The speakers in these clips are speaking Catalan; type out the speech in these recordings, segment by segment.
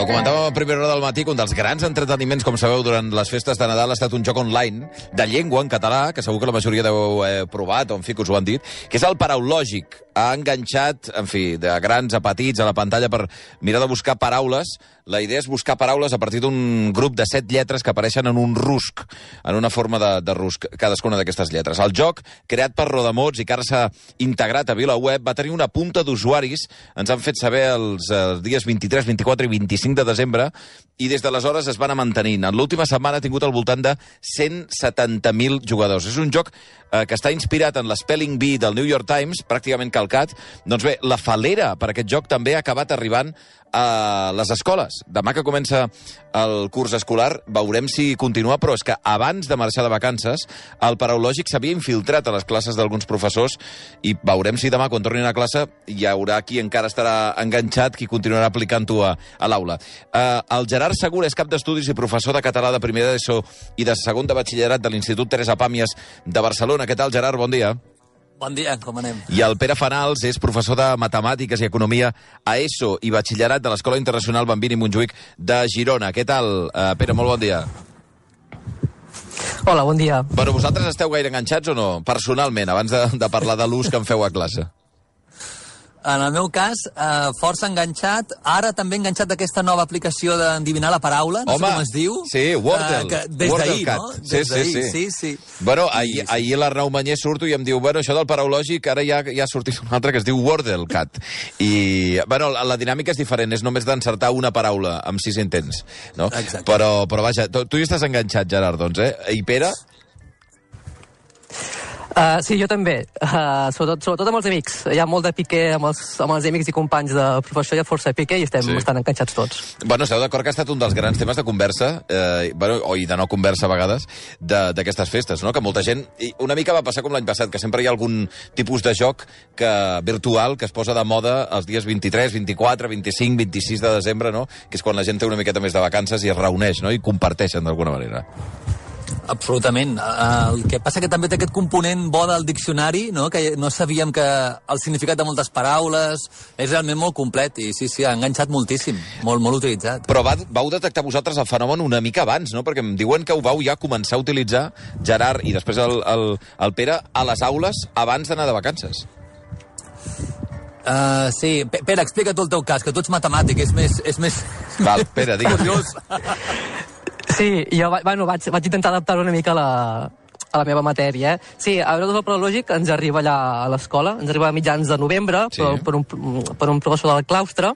comentàvem a primera hora del matí que un dels grans entreteniments, com sabeu, durant les festes de Nadal ha estat un joc online de llengua en català, que segur que la majoria deu provat, o en fi, que us ho han dit, que és el Paraulògic. Ha enganxat, en fi, de grans a petits a la pantalla per mirar de buscar paraules. La idea és buscar paraules a partir d'un grup de 7 lletres que apareixen en un rusc, en una forma de rusc, cadascuna d'aquestes lletres. El joc, creat per Rodamots i que ara s'ha integrat a VilaWeb, va tenir una punta d'usuaris, ens han fet saber els dies 23, 24 i 25 de desembre, i des d'aleshores es van anar mantenint. En l'última setmana ha tingut al voltant de 170.000 jugadors. És un joc que està inspirat en l'Spelling Bee del New York Times, pràcticament calcat. Doncs bé, la falera per aquest joc també ha acabat arribant a les escoles. Demà que comença el curs escolar veurem si continua, però és que abans de marxar de vacances el Paraulògic s'havia infiltrat a les classes d'alguns professors i veurem si demà, quan tornin a classe, hi haurà qui encara estarà enganxat, qui continuarà aplicant-ho a l'aula. El Gerard Segura és cap d'estudis i professor de català de primer d'ESO i de segon de batxillerat de l'Institut Teresa Pàmies de Barcelona. Què tal, Gerard? Bon dia. Bon dia, com anem? I el Pere Fanals és professor de Matemàtiques i Economia a ESO i Batxillerat de l'Escola Internacional Bambini Montjuïc de Girona. Què tal, Pere? Molt bon dia. Hola, bon dia. Bueno, vosaltres esteu gaire enganxats o no? Personalment, abans de parlar de l'ús que en feu a classe. En el meu cas, força enganxat. Ara també enganxat d'aquesta nova aplicació d'endevinar la paraula. No sé com es diu. Sí, Wordle. Des d'ahir, no? Sí. Bueno, ahir l'Arnau Mañé surto i em diu, bueno, això del Paraulògic, ara ja ha sortit un altre que es diu WordleCat. I, bueno, la dinàmica és diferent, és només d'encertar una paraula amb 6 intents, no? Exacte. Però vaja, tu hi estàs enganxat, Gerard, doncs, eh? I Pere? Sí, jo també. Sobretot amb els amics. Hi ha molt de piqué amb els amics i companys de professor, hi ha força piqué i estem bastant enganxats tots. Bueno, esteu d'acord que ha estat un dels grans temes de conversa, i de no conversa a vegades, d'aquestes festes, no? Que molta gent... Una mica va passar com l'any passat, que sempre hi ha algun tipus de joc virtual que es posa de moda els dies 23, 24, 25, 26 de desembre, no? Que és quan la gent té una miqueta més de vacances i es reuneix, no? I comparteixen d'alguna manera. Absolutament. El que passa que també té aquest component bo del diccionari, no? Que no sabíem que el significat de moltes paraules és realment molt complet i sí, ha enganxat moltíssim, molt utilitzat. Però vau detectar vosaltres el fenomen una mica abans, no? Perquè em diuen que ho vau ja començar a utilitzar, Gerard i després el Pere, a les aules abans d'anar de vacances. Sí. Pere, explica tu el teu cas, que tu ets matemàtic, és més... Val, Pere, digues. Sí, jo vaig intentar adaptar una mica a la meva matèria. Sí, a veure, el Paraulògic ens arriba allà a l'escola, ens arriba a mitjans de novembre, per un professor del claustre,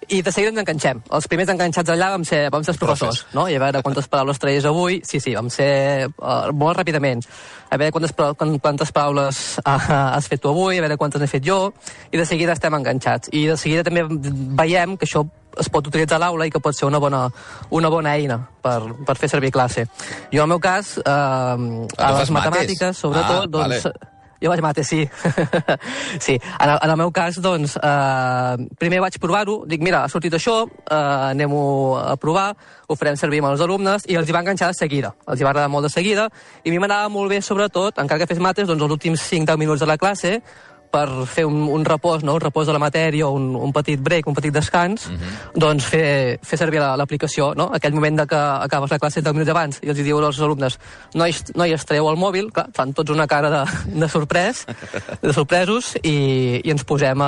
i de seguida ens enganxem. Els primers enganxats allà vam ser els professors, no? I a veure quantes paraules traies avui. Sí, vam ser molt ràpidament. A veure quantes paraules has fet tu avui, a veure quantes n'he fet jo, i de seguida estem enganxats. I de seguida també veiem que això es pot utilitzar a l'aula i que pot ser una bona eina per fer servir classe. Jo, en el meu cas, a les matemàtiques, sobretot, doncs... Vale. Jo vaig mate, sí. Sí. En el meu cas, doncs, primer vaig provar-ho, dic, mira, ha sortit això, anem-ho a provar, ho farem servir amb els alumnes, i els hi va enganxar de seguida. Els hi va agradar molt de seguida, i a mi m'anava molt bé, sobretot, encara que fes mates, doncs, els últims 5-10 minuts de la classe, per fer un repòs, no? Un repòs de la matèria, un petit break, un petit descans, doncs fer servir l'aplicació, no? Aquell moment que acabes la classe 10 minuts abans i els diu als alumnes, noies, treu el mòbil, clar, fan tots una cara de sorpresos i ens posem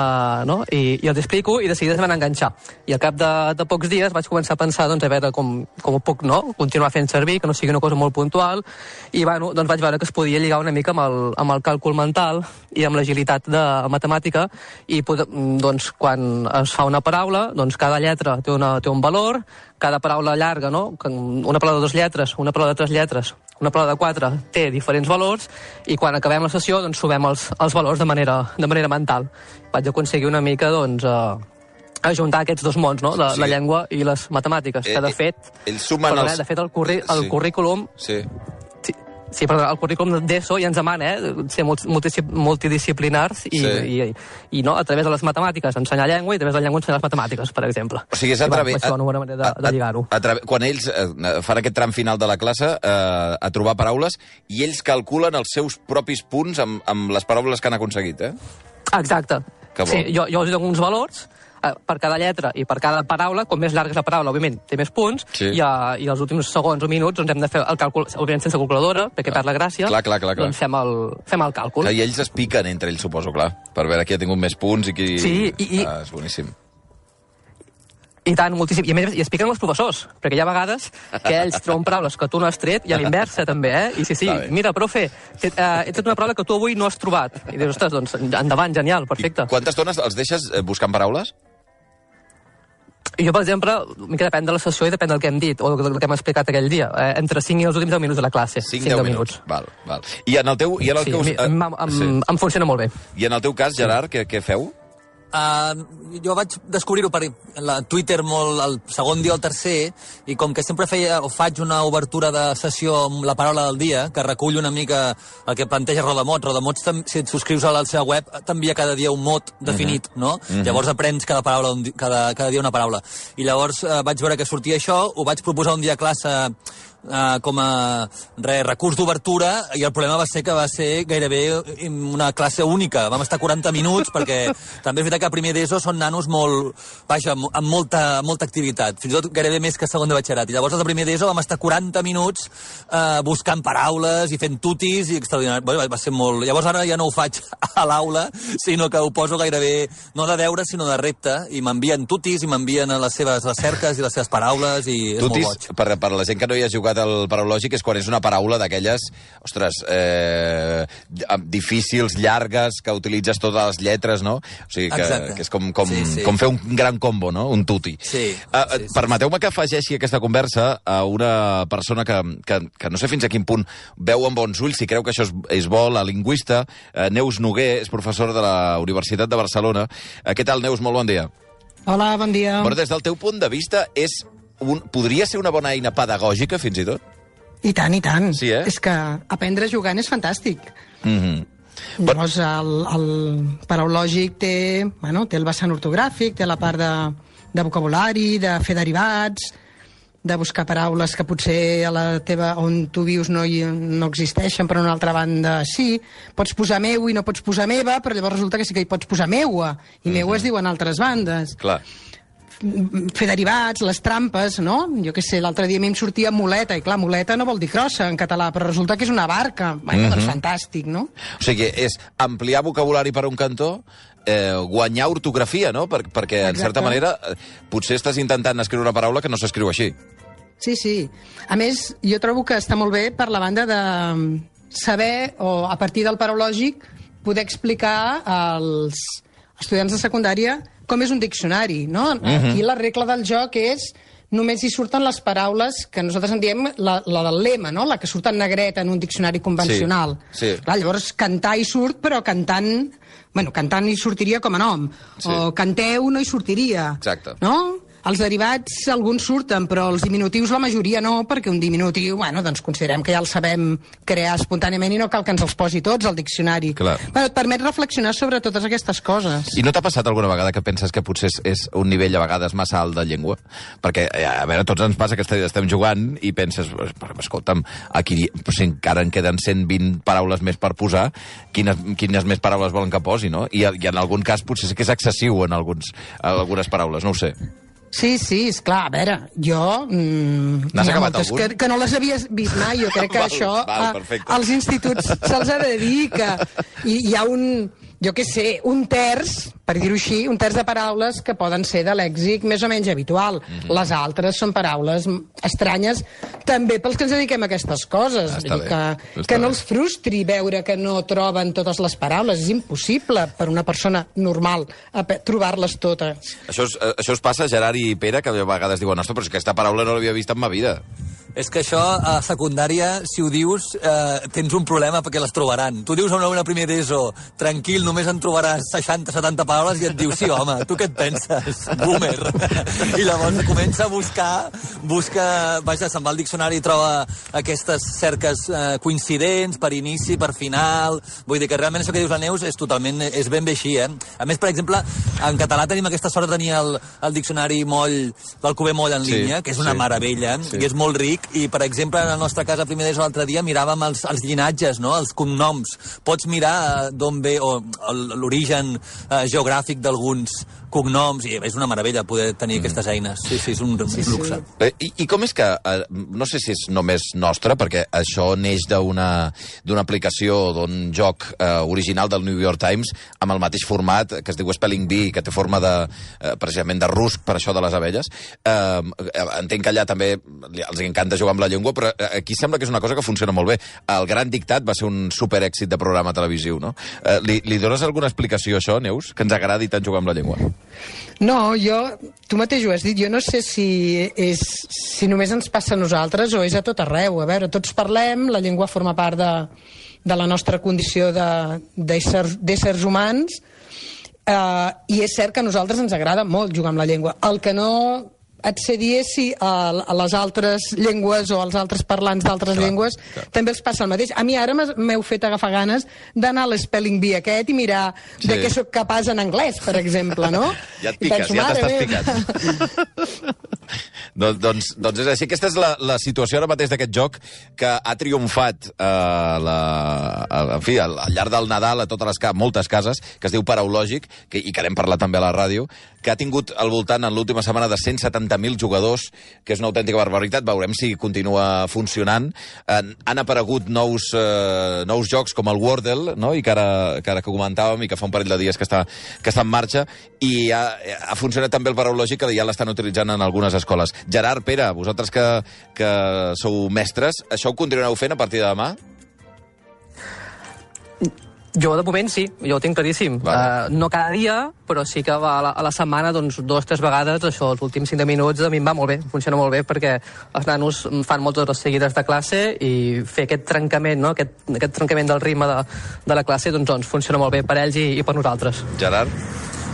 no? I els explico i de seguida es van enganxar. I al cap de pocs dies vaig començar a pensar, doncs, a veure com ho puc, no? Continuar fent servir, que no sigui una cosa molt puntual, i bueno, doncs vaig veure que es podia lligar una mica amb el càlcul mental i amb l'agilitat de matemàtica, i doncs quan es fa una paraula, doncs cada lletra té un valor, cada paraula llarga, no? Una paraula de 2 lletres, una paraula de 3 lletres, una paraula de 4 té diferents valors, i quan acabem la sessió doncs sumem els valors de manera mental. Vaig aconseguir una mica, doncs, ajuntar aquests dos mons, no? La llengua i les matemàtiques, que de fet... De fet, el currículum... Sí, però el currículum d'ESO ja ens demana ser multidisciplinars i no, a través de les matemàtiques ensenyar llengua i a través de la llengua ensenyar les matemàtiques, per exemple. O sigui, és a través... Això és una bona manera de lligar-ho. Quan ells fan aquest tram final de la classe a trobar paraules i ells calculen els seus propis punts amb les paraules que han aconseguit, eh? Exacte. Sí, jo els dono uns valors, per cada lletra i per cada paraula, com més llarga és la paraula, òbviament, té més punts, i els últims segons o minuts doncs hem de fer el càlcul, òbviament sense calculadora, perquè perd la gràcia, doncs fem el càlcul. I ells es piquen entre ells, suposo, clar, per veure qui ha tingut més punts i qui... Sí, és boníssim. I tant, moltíssim. I a més, es piquen els professors, perquè hi ha vegades que ells troben paraules que tu no has tret, i a l'inversa també, I sí, mira, profe, he tret una paraula que tu avui no has trobat. I dius, ostres, doncs endavant, genial, perfecte. I quantes estones els deixes buscant paraules? Jo, per exemple, depèn de la sessió i depèn del que hem dit, o del que hem explicat aquell dia. Entre 5 i els últims 10 minuts de la classe. 5-10 minuts. Val. I en el teu... em funciona molt bé. I en el teu cas, Gerard, què feu? Jo vaig descobrir-ho per Twitter molt el segon dia o el tercer, i com que sempre faig una obertura de sessió amb la paraula del dia, que recull una mica el que planteja Rodamots. Rodamots, si et subscrius a la seva web, t'envia cada dia un mot definit, no? Llavors aprens cada dia una paraula. I llavors vaig veure que sortia això, ho vaig proposar un dia a classe com a recurs d'obertura, i el problema va ser que va ser gairebé una classe única. Vam estar 40 minuts, perquè també és veritat que a primer d'ESO són nanos amb molta activitat, fins i tot gairebé més que segon de batxillerat. I llavors a primer d'ESO vam estar 40 minuts buscant paraules i fent tutis, i extraordinari. Va ser molt... Llavors ara ja no ho faig a l'aula, sinó que ho poso gairebé, no de deure, sinó de repte, i m'envien tutis, i m'envien les seves recerques i les seves paraules, i és molt boig. Per la gent que no hi ha jugat el paraulògic, és quan és una paraula d'aquelles, ostres, difícils, llargues, que utilitzes totes les lletres, no? O sigui, que és com fer un gran combo, no? Un tuti. Permeteu-me que afegeixi aquesta conversa a una persona que no sé fins a quin punt veu amb bons ulls, si creu que això és bo, la lingüista, Neus Noguer, és professora de la Universitat de Barcelona. Què tal, Neus? Molt bon dia. Hola, bon dia. Però des del teu punt de vista, podria ser una bona eina pedagògica, fins i tot? I tant, i tant. Sí, És que aprendre jugant és fantàstic. Llavors, el paraulògic té el vessant ortogràfic, té la part de vocabulari, de fer derivats, de buscar paraules que potser a la teva, on tu vius no existeixen, però a una altra banda sí. Pots posar meu i no pots posar meva, però llavors resulta que sí que hi pots posar meua, i meua es diu en altres bandes. Clar. Fer derivats, les trampes, no? Jo què sé, l'altre dia a mi em sortia muleta, i clar, muleta no vol dir crossa en català, però resulta que és una barca. Doncs fantàstic, no? O sigui, és ampliar vocabulari per un cantó, guanyar ortografia, no? Perquè, en certa manera, potser estàs intentant escriure una paraula que no s'escriu així. Sí. A més, jo trobo que està molt bé per la banda de saber, o a partir del paraulògic, poder explicar als estudiants de secundària com és un diccionari, no? Aquí la regla del joc és només hi surten les paraules que nosaltres en diem la del lema, no? La que surt en negreta en un diccionari convencional. Sí. Clar, llavors cantar hi surt, però cantant hi sortiria com a nom. Sí. O canteu no hi sortiria. Exacte. No? Els derivats, alguns surten, però els diminutius la majoria no, perquè un diminutiu, doncs considerem que ja el sabem crear espontàniament i no cal que ens els posi tots al diccionari. Clar. Et permet reflexionar sobre totes aquestes coses. I no t'ha passat alguna vegada que penses que potser és un nivell a vegades massa alt de llengua? Perquè, a veure, tots ens passa que estem jugant i penses, escolta'm, aquí encara en queden 120 paraules més per posar, quines més paraules volen que posi, no? I en algun cas potser sí que és excessiu en algunes paraules, no ho sé. Sí, esclar, a veure, jo... N'has acabat algun? Que no les havies vist mai, jo crec que això als instituts se'ls ha de dir que hi ha jo què sé, un terç, per dir-ho així, un terç de paraules que poden ser de lèxic més o menys habitual. Les altres són paraules estranyes, també pels que ens dediquem a aquestes coses. Que no els frustri veure que no troben totes les paraules. És impossible per una persona normal trobar-les totes. Això us passa, Gerard i Pere, que a vegades diuen, ostres, però aquesta paraula no l'havia vist en ma vida. És que això, a secundària, si ho dius, tens un problema perquè les trobaran. Tu dius a una primer d'ESO, tranquil, només en trobaràs 60-70 paraules, i et diu, sí, home, tu què et penses? Boomer. I llavors comença a buscar, se'n va al diccionari i troba aquestes cerques coincidents, per inici, per final... Vull dir que realment això que dius la Neus és ben bé així, A més, per exemple, en català tenim aquesta sort de tenir el diccionari Moll, del Cuber Moll en línia, que és una meravella, i és molt ric, I, per exemple, en el nostre cas, a primer d'ESO l'altre dia, miràvem els llinatges, no? Els cognoms. Pots mirar d'on ve l'origen geogràfic d'alguns cognoms, i és una meravella poder tenir aquestes eines. Sí, és un luxe. I com és que, no sé si és només nostre, perquè això neix d'una aplicació, d'un joc original del New York Times, amb el mateix format, que es diu Spelling Bee, que té forma precisament de rusc, per això de les abelles. Entenc que allà també els encanta jugar amb la llengua, però aquí sembla que és una cosa que funciona molt bé. El Gran Dictat va ser un superèxit de programa televisiu, no? Li dones alguna explicació a això, Neus, que ens agradi tant jugar amb la llengua? No, tu mateix ho has dit, jo no sé si només ens passa a nosaltres o és a tot arreu. A veure, tots parlem, la llengua forma part de la nostra condició d'éssers humans, i és cert que a nosaltres ens agrada molt jugar amb la llengua. El que no et sé dir és si a les altres llengües o als altres parlants d'altres llengües també els passa el mateix. A mi ara m'heu fet agafar ganes d'anar a l'Spelling Bee aquest i mirar de què sóc capaç en anglès, per exemple, no? Ja et piques, ja t'estàs picant. Doncs és així. Aquesta és la situació ara mateix d'aquest joc que ha triomfat en fi, al llarg del Nadal a totes moltes cases, que es diu Paraulògic, i que n'hem parlat també a la ràdio, que ha tingut al voltant en l'última setmana de 170.000 jugadors, que és una autèntica barbaritat. Veurem si continua funcionant. Han aparegut nous jocs com el Wordle, no? I que ara que comentàvem i que fa un parell de dies que està en marxa, i ha funcionat també el Paraulògic, que ja l'estan utilitzant en algunes escoles. Gerard, Pere, vosaltres que sou mestres, això ho continuareu fent a partir de demà? Jo, de moment, sí, jo ho tinc claríssim. No cada dia, però sí que a la setmana, 2 o 3 vegades, això, els últims 5 minuts, a mi em va molt bé, funciona molt bé, perquè els nanos fan moltes hores seguides de classe i fer aquest trencament, no? aquest trencament del ritme de la classe, doncs funciona molt bé per ells i per nosaltres. Gerard?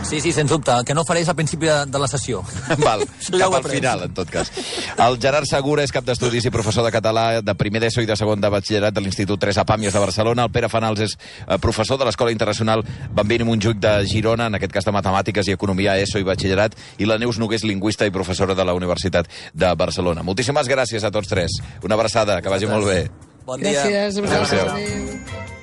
Sí, sens dubte. El que no faré és al principi de la sessió. Val, cap al final, en tot cas. El Gerard Segura és cap d'estudis i professor de català de primer d'ESO i de segon de batxillerat de l'Institut Teresa Pàmies de Barcelona. El Pere Fanals és professor de l'Escola Internacional Bambini Montjuïc de Girona, en aquest cas de Matemàtiques i Economia, ESO i batxillerat, i la Neus Nogués, lingüista i professora de la Universitat de Barcelona. Moltíssimes gràcies a tots tres. Una abraçada, que vagi molt bé. Bon dia. Gràcies. Adéu.